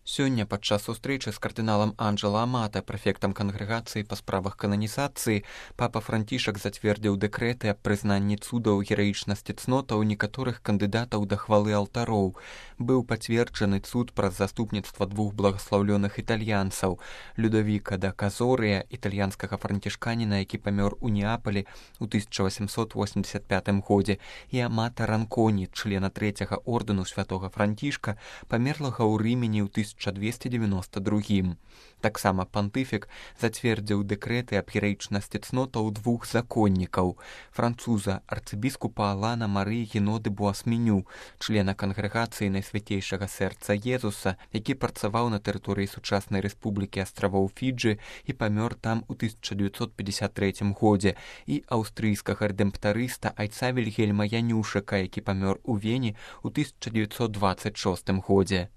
Сёння падчас сустрэчы з кардыналам Анджела Амата, прэфектам кангрэгацыі па справах кананізацыі, папа Францішак зацвердзіў дэкрэты аб прызнанні цудаў гераічнасці цнотаў некаторых кандыдатаў да хвалы алтароў. Быў пацверджаны цуд праз заступніцтва двух благаслаўлёных італьянцаў: Людавіка да Казорыя, італьянскага францішканіна, які памёр у Неапалі ў 1885 годзе, і Амата Ранконі, члена трэцяга ордэну святога Францішка, памерлага ў Рымені ў 1292. Таксама пантыфік зацвердзіў дэкрэты аб гераічнасці цнотаў двух законнікаў: француза, арцыбіскупа Алана Марыі Геноды Буасменю, члена кангрэгацыі Найсвяцейшага сэрца Езуса, які працаваў на тэрыторыі сучаснай рэспублікі астравоў Фіджы і памёр там у 1953 годзе, і аўстрыйскага рэдэмптарыста айца Вільгельма Янюшыка, які памёр у Вені ў 1926 годзе.